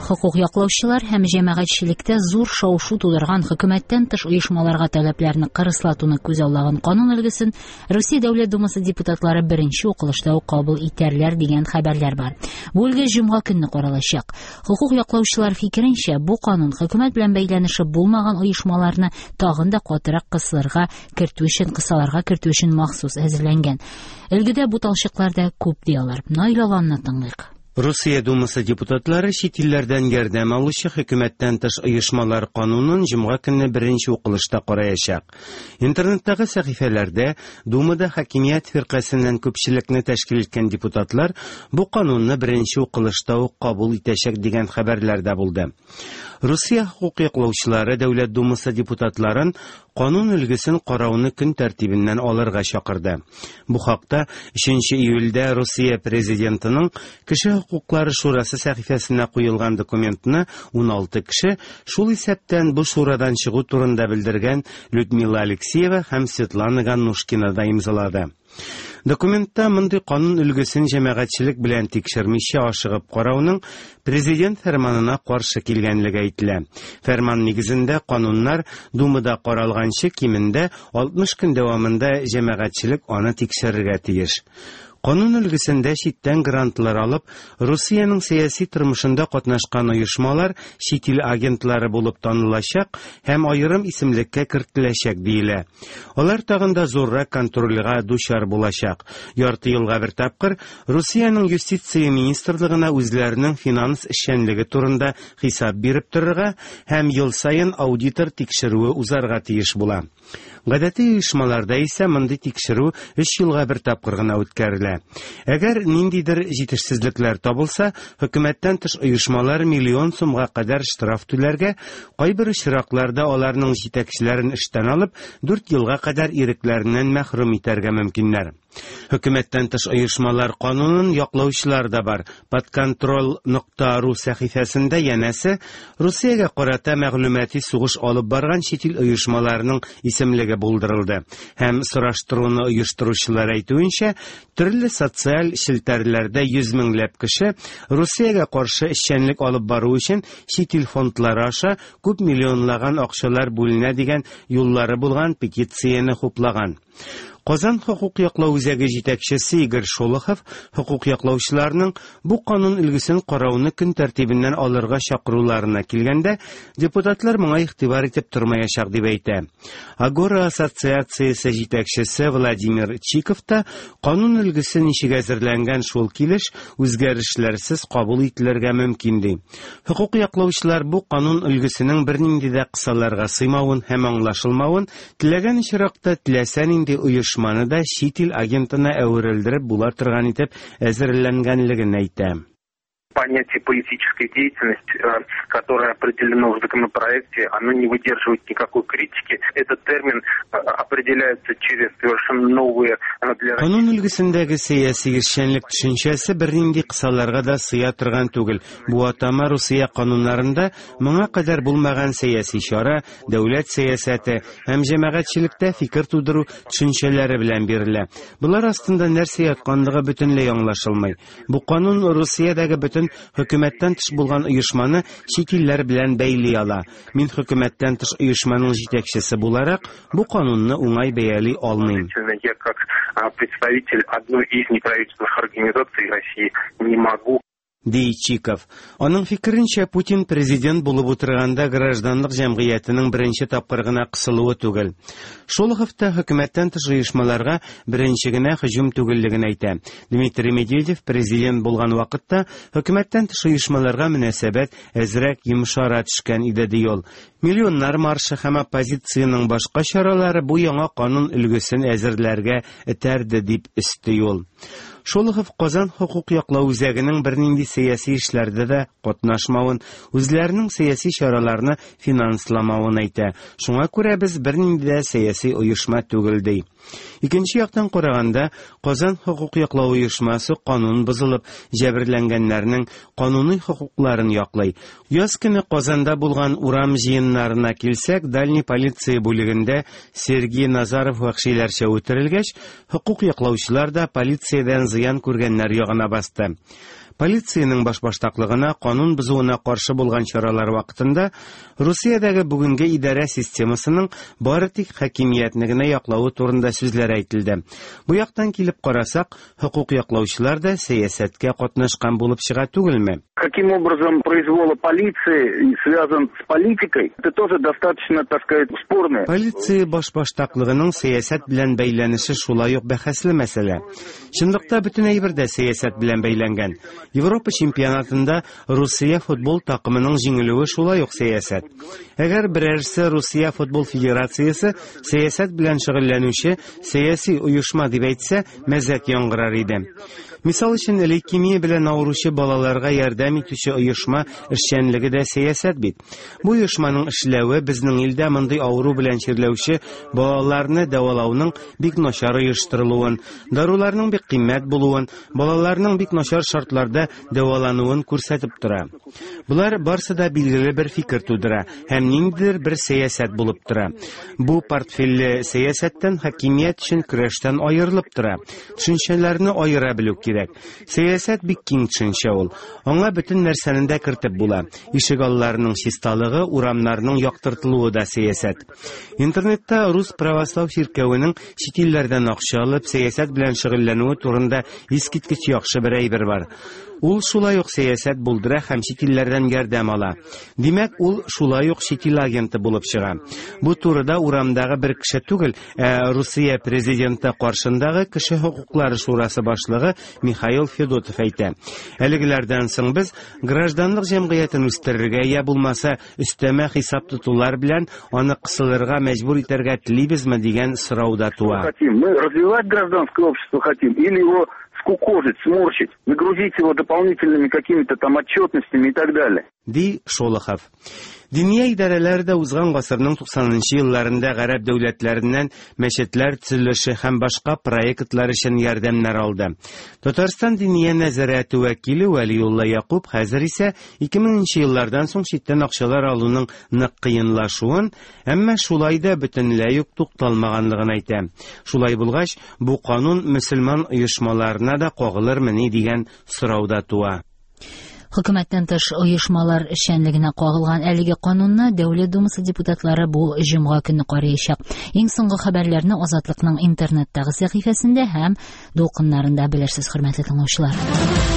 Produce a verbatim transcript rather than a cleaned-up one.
Хокук яклаучылар һәм җәмәгатьчелектә зур шау-шу тудырган хөкүмәттән тыш оешмаларга таләпләрне кырыслатуны күзаллаган канун өлгесен Русия Дәүләт Думасы депутатлары беренче укылышта ук кабул итәрләр дигән хәбәрләр бар. Бу өлге җомга көнне каралачак. Хокук яклаучылар фикеренчә, бу канун хөкүмәт белән бәйләнеше булмаган оешмаларны тагын да катырак кысылырга кертү өчен, кысаларга кертү өчен махсус әзерләнгән. Өлгедә буталчыклар да күп ди алар. Наил Аланны тыңлыйк. Русия Думасы депутатлары чит илләрдән ярдәм алучы хөкүмәттән тыш оешмалар канунын җомга көнне беренче укылышта караячак. Интернеттагы сәхифәләрдә Думада хакимият фиркасеннән күпчелекне тәшкил иткән депутатлар бу канунны беренче укылышта ук кабул итәчәк дигән хәбәрләр дә булды. Русия хокук яклаучылары Дәүләт Думасы депутатларын канун өлгесен карауны көн тәртибеннән алырга чакырды. Бу хакта өченче июльдә Русия президентының Кеше хокуклары шурасы сәхифәсенә куелган документны ун алты кеше, шул исәптән бу шурадан чыгу турында белдергән Людмила Алексеева һәм Светлана Ганнушкина да имзалады. Документта мондый канун өлгесен җәмәгатьчелек белән тикшермичә ашыгып карауның президент фәрманына каршы килгәнлеге әйтелә. Фәрман нигезендә кануннар Думада каралганчы кимендә алтмыш көн дәвамында җәмәгатьчелек аны тикшерергә тиеш. Канун өлгесендә читтән грантлар алып, Русиянең сәяси тормышында катнашкан оешмалар чит ил агентлары булып танылачак һәм аерым исемлеккә кертеләчәк диелә. Алар тагын да зуррак контрольгә дучар булачак. Ярты елга бер тапкыр Русиянең юстиция министрлыгына үзләренең финанс эшчәнлеге турында хисап биреп торырга һәм ел саен аудитор тикшерүе узарга тиеш була. Гадәти оешмаларда исә мондый тикшерү өч елга бер тапкыр гына үткәрелә. Әгәр ниндидер җитешсезлекләр табылса, хөкүмәттән тыш оешмалар миллион сумга кадәр штраф түләргә, кайбер очракларда аларның җитәкчеләрен эштән алып, дүрт елга кадәр ирекләреннән мәхрүм итәргә мөмкиннәр. Хөкүмәттән тыш оешмалар канунын яклаучылар да бар. Подконтроль нокта ру сәхифәсендә янәсе Русиягә карата мәгълүмати сугыш алып барган чит ил оешмаларының исемлеге булдырылды. Һәм сораштыруны оештыручылар әйтүенчә, төрле социаль челтәрләрдә йөз меңләп кеше Русиягә каршы эшчәнлек алып бару өчен чит ил фондлары аша күп миллионлаган акчалар бүленә дигән юллары булган петицияне хуплаган. Казан хокук яклау үзәге җитәкчесе Игорь Шолохов хокук яклаучыларның бу канун өлгесен карауны көн тәртибеннән алырга чакыруларына килгәндә, депутатлар моңа игътибар итеп тормаячак дип әйтә. Агора ассоциациясе җитәкчесе Владимир Чиков та канун өлгесе ничек әзерләнгән шул килеш үзгәрешләрсез кабул ителергә мөмкин ди. Хокук яклаучылар бу канун өлгесенең бернинди дә кысаларга сыймавын һәм аңлашылмавын, теләгән очракта теләсә нинди оешма дошманы да чит ил агентына әверелдереп була торган итеп әзерләнгәнлеген әйтә. Понятие политической деятельности, которое определено в законопроекте, оно не выдерживает никакой критики. Этот термин определяется через совершенно новые для Канун өлгесендәге сәяси эшчәнлек төшенчәсе бернинди кысаларга да сыя торган түгел. Бу атама Русия кануннарында моңа кадәр булмаган сәяси чара, дәүләт сәясәте һәм җәмәгатьчелектә фикер тудыру төшенчәләре белән бирелә. Булар астында нәрсә ятканлыгы бөтенләй аңлашылмый. Бу канун Русиядәге бөтен хөкүмәттән тыш булган оешманы чит илләр белән бәйли ала. Мин хөкүмәттән тыш оешманың җитәкчесе буларак бу канунны уңай бәяли алмыйм. Я как представитель одной из неправительственных организаций России не могу. Ди Чиков. Аның фикеренчә, Путин президент булып утырганда гражданлык җәмгыятенең беренче тапкыр гына кысылуы түгел. Шолохов та хөкүмәттән тыш оешмаларга беренче генә һөҗүм түгеллеген әйтә. Дмитрий Медведев президент булган вакытта хөкүмәттән тыш оешмаларга мөнәсәбәт әзрәк йомшара төшкән иде ди ул. Миллионнар маршы һәм оппозициянең башка чаралары бу яңа канун өлгесен әзерләргә этәрде дип өсти ул. Шолохов Казан хокук яклау үзәгенең бернинди сәяси эшләрдә дә катнашмавын, үзләренең сәяси чараларны финансламавын әйтә. Шуңа күрә без бернинди дә сәяси оешма түгел ди. Икенче яктан караганда, Казан хокук яклау оешмасы канун бозылып, җәберләнгәннәрнең кануни хокукларын яклый. Яз көне Казанда булган урам җыеннарына килсәк, Дальний полиция бүлегендә Сергей Назаров вәхшиләрчә үтерелгәч, хокук яклаучылар да полициядән зыян күргәннәр ягына басты. Полициянең башбаштаклыгына, канун бозуына каршы булган чаралар вакытында Русиядәге бүгенге идарә системасының бары тик хакимиятне генә яклавы турында сүзләр әйтелде. Бу яктан килеп карасак, хокук яклаучылар да сәясәткә катнашкан булып чыга түгелме? Каким образом произвола полиции связан с политикой, это тоже достаточно, так сказать, спорное. Полиция башбаштаклыгының сәясәт белән бәйләнеше шулай ук бәхәсле мәсьәлә. Чынлыкта бөтен әйбер дә сәясәт белән бәйләнгән. Европа чемпионатында Русия футбол такымының җиңелүе шулай ук сәясәт. Әгәр берәрсе Русия футбол федерациясе сәясәт белән шөгыльләнүче сәяси оешма дип әйтсә, мәзәк яңгырар иде. Мисал өчен, лейкемия белән авыручы балаларга ярдәм итүче оешма эшчәнлеге дә сәясәт бит. Бу оешманың эшләве безнең илдә мондый авыру белән чирләүче балаларны дәвалауның бик начар оештырылуын, даруларның бик кыйммәт булуын, балаларның бик начар шартларда дәвалануын күрсәтеп тора. Болар барсы да билгеле бер фикер тудыра һәм ниндидер бер сәясәт булып тора. Бу портфельле сәясәттән хакимият өчен көрәштән аерылып тора. Төшенчәләрне аера белү кирәк. Сәясәт бик киң төшенчә ул. Аңа бөтен нәрсәне дә кертеп була. Ишек алларының чисталыгы, урамнарның яктыртылуы да сәясәт. Интернетта Рус православ чиркәвенең чит илләрдән акча алып сәясәт белән шөгыльләнүе турында искиткеч яхшы бер әйбер бар. Ул шулай ук сәясәт булдыра һәм чит илләрдән ярдәм ала. Димәк, ул шулай ук чит ил агенты булып чыга. Бу турыда урамдагы бер кеше түгел, ә Русия президенты каршындагы кеше хокуклары шурасы башлыгы Михаил Федотов әйтә. Әлегеләрдән соң без гражданлык җәмгыятен үстерергә я булмаса өстәмә хисап тотулар белән аны кысылырга мәҗбүр итәргә телибезме дигән сорау да туа. Хотим мы развивать гражданское общество хотим или его скукожить, сморщить, нагрузить его дополнительными какими-то там отчетностями и так далее. Ди Шолохов. Диния идарәләре дә узган гасырның туксанынчы елларында гарәп дәүләтләреннән мәчетләр төзелеше һәм башка проектлар өчен ярдәмнәр алды. Татарстан Диния нәзарәте вәкиле Вәлиулла Якуб хәзер исә ике меңенче еллардан соң читтән акчалар алуның нык кыенлашуын, әмма шулай да бөтенләй үк тукталмаганлыгын әйтә. Шулай булгач, бу канун мөселман оешмаларына да кагылырмыни дигән сорау да туа. Хөкүмәттән тыш оешмалар эшчәнлегенә кагылган әлеге канунны Дәүләт Думасы депутатлары бу җомга көнне караячак. Иң соңгы хәбәрләрне Азатлыкның интернеттагы сәхифәсендә һәм дулкыннарында белерсез, хөрмәтле тыңлаучылар.